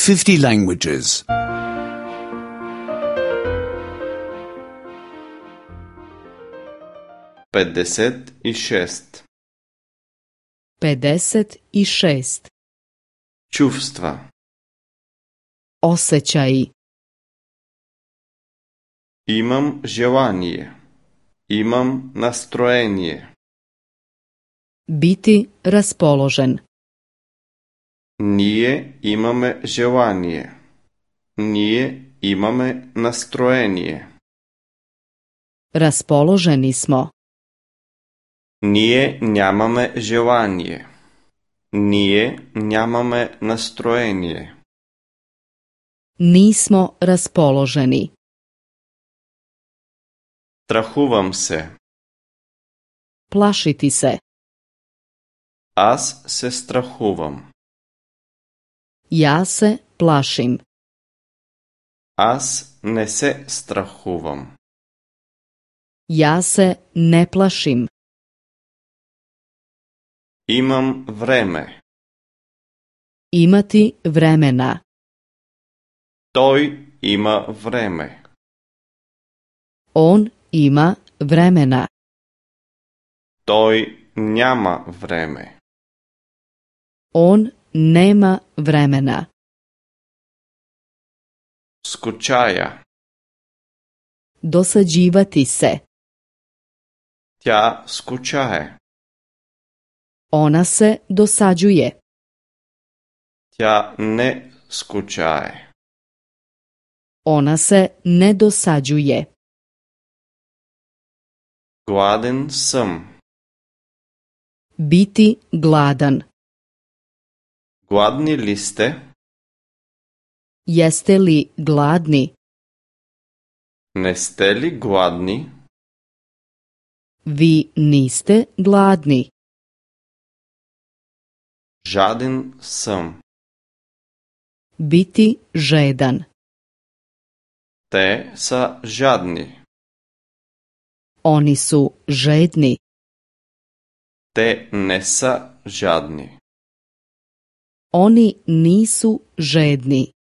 50 languages. 56. 56. Чувства. Osjećaji. Имам желание. Имам настроение. Biti raspoložen. Ние имаме желание. Ние имаме настроение. Raspoloženi smo. Ние нямаме желание. Ние нямаме настроение. Nismo raspoloženi. Страхувам се. Plašiti se. Аз се страхувам. Ja se plašim. Аз не се страхувам. Ja se ne plašim. Имам време. Imati vremena. Той има време. On ima vremena. Той няма време. On nema vremena. Скучая. Dosađivati se. Тя скучае. Ona se dosađuje. Тя не скучае. Ona se ne dosađuje. Гладен съм. Biti gladan. Гладни ли сте? Jeste li gladni? Не сте ли гладни? Vi niste gladni. Жаден съм. Biti žedan. Те са жадни. Oni su žedni. Те не са жадни. Oni nisu žedni.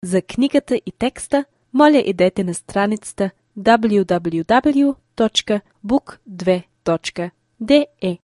За книгата и текста, моля идете на страницата www.book2.de.